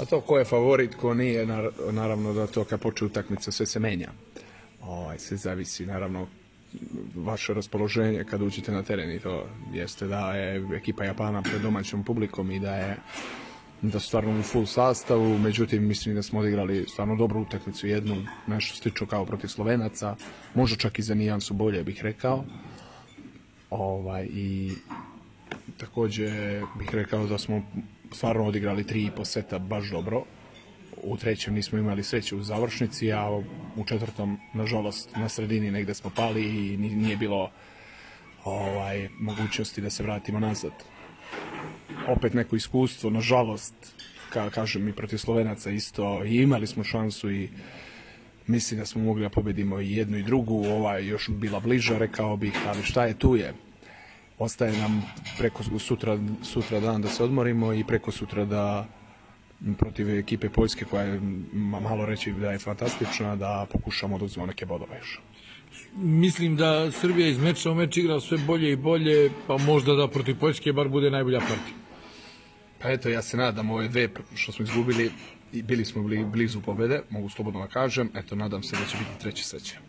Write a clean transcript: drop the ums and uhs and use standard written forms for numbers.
A to ko je favorit, ko nije, naravno da to kad počne utakmica sve se menja. Sve zavisi, naravno, vaše raspoloženje kad uđete na teren i to jeste da je ekipa Japana pred domaćom publikom i da su stvarno u full sastavu, međutim mislim da smo odigrali stvarno dobru utakmicu, jednu, nešto slično kao protiv Slovenaca, možda čak i za nijansu bolje bih rekao. I također bih rekao da smo stvarno odigrali 3,5 seta baš dobro. U trećem nismo imali sreće u završnici, a u četvrtom, nažalost, na sredini negde smo pali i nije bilo mogućnosti da se vratimo nazad. Opet neko iskustvo, nažalost, kažem i protiv Slovenaca isto, i imali smo šansu i mislim da smo mogli da pobedimo i jednu i drugu, još bila bliža, rekao bih, ali šta je tu je. Ostaje nam preko sutra dan da se odmorimo i preko sutra da protiv ekipe Poljske, koja je malo reći da je fantastična, da pokušamo da uzmemo neke bodove još. Mislim da Srbija iz meča u meč igra sve bolje i bolje, pa možda da protiv Poljske bar bude najbolja partija. Pa eto, ja se nadam, ove dve što smo izgubili, bili smo blizu pobede, mogu slobodno da kažem, eto, nadam se da će biti treće sreće.